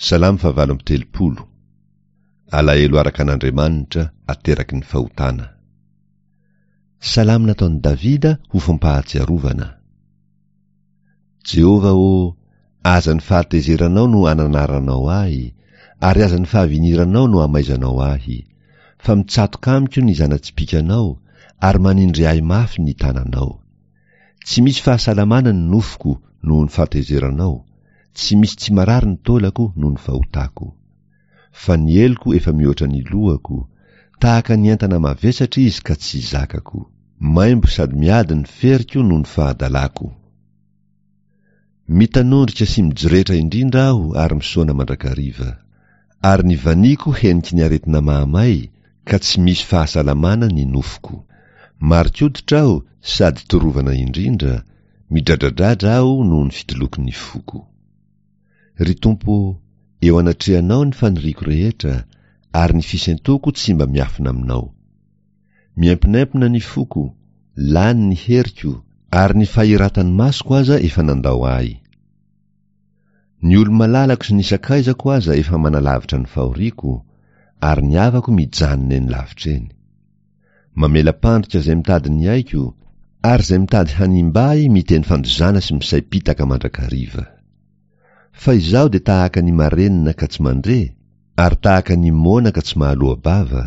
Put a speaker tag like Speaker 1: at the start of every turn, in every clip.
Speaker 1: Salamo fahavalo amby 30. Alahelo araka an'Andriamanitra ateraky ny fahotana. Salamo nataon'i Davida ho fampahatsiarovana. Jehovah ô, aza ny fahatezeranao no ananaranao ahy, ary aza ny fahaviniranao no amaizanao ahy, fa mitsatoka amiko ny zana-tsipìkanao, ary manindry ahy mafy ny tananao. Tsy misy fahasalamana ny nofoko noho ny fahatezeranao, tsy misy tsy marary ny taolako noho ny fahotako. Fa ny heloko efa mihoatra ny lohako, tahaka ny entana mavesatra izy ka tsy zakako. Maimbo sady miady ny feriko noho ny fahadalako. Mitanondrika sy mijoretra indrindra aho ary misaona mandrakariva. Ary ny vaniko heniky ny aretina mahamay ka tsy misy fahasalamana ny nofoko. Marin-koditra aho sady torovana indrindra, midradradradra aho noho ny fitoloky ny foko. Ry Tompo ô, eo anatrehanao ny faniriako rehetra, ary ny fisentoko tsy mba miafina aminao. Miemponempona ny foko, lany ny heriko, ary ny fahiratan'ny masoko aza efa nandao ahy. Ny olo-malalako sy ny sakaizako aza efa manalavitra ny fahoriako, ary ny havako mijanona eny lavitra eny. Mamela-pandrika izay mitady ny aiko, ary izay mitady hanimba ahy miteny fandozana sy misaim-pitaka mandrakariva. Fa izaho dia tahaka ny marenina ka tsy mandre, ary tahaka ny moana ka tsy mahaloa-bava.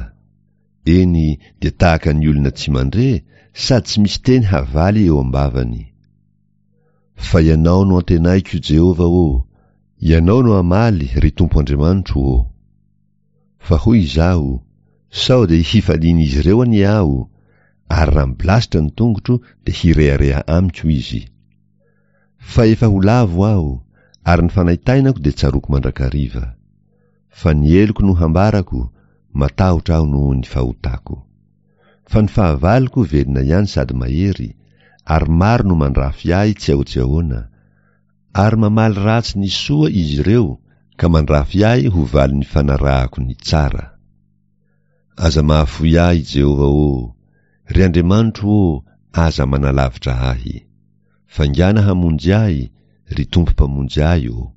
Speaker 1: Eny, dia tahaka ny olona tsy mandre, sady tsy misy teny havaly eo am-bavany. Fa Ianao no antenaiko, Jehovah ô, Ianao no hamaly, ry Tompo Andriamanitro ô. Fa hoy izaho, Sao dia hifalian'izy ireo anie aho, ary raha mibilasitra ny tongotro dia hirehareha amiko izy. Fa efa ho lavo aho, ary ny fanaintainako dia tsaroako mandrakariva. Fa ny heloko no hambarako, matahotra aho noho ny fahotako. Fa ny fahavaloko velona ihany sady mahery, ary maro no mandrafy ahy tsy ahoa-tsy ahoana, ary mamaly ratsy ny soa izy ireo ka mandrafy ahy ho valin'ny fanarahako ny tsara. Aza mahafoy ahy, Jehovah ô! Ry Andriamanitro ô, aza manalavitra ahy. Faingàna hamonjy ahy, ry Tompo Mpamonjy ahy ô!